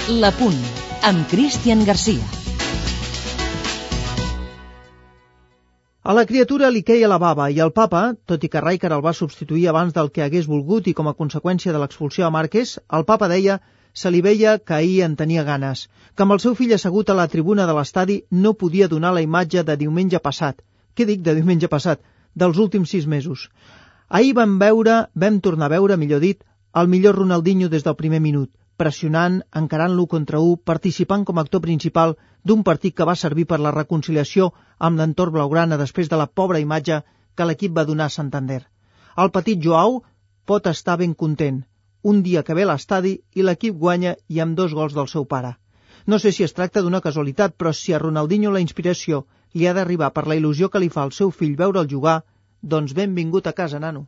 L'Apunt, amb Cristian Garcia. A la criatura li queia la bava i el papa, tot i que Rijkaard el va substituir abans del que hagués volgut i com a conseqüència de l'expulsió a Márquez, el papa deia se li veia que ahir en tenia ganes, que amb el seu fill assegut a la tribuna de l'estadi no podia donar la imatge de diumenge passat. Què dic de diumenge passat? Dels últims 6 mesos. Ahir vam tornar a veure, millor dit, el millor Ronaldinho des del primer minut, pressionant, encarant l'1 contra 1, participant com a actor principal d'un partit que va servir per la reconciliació amb l'entorn blaugrana després de la pobra imatge que l'equip va donar a Santander. El petit Joao pot estar ben content. Un dia que ve a l'estadi i l'equip guanya i amb 2 gols del seu pare. No sé si es tracta d'una casualitat, però si a Ronaldinho la inspiració li ha d'arribar per la il·lusió que li fa al seu fill veure'l jugar, doncs benvingut a casa, nano.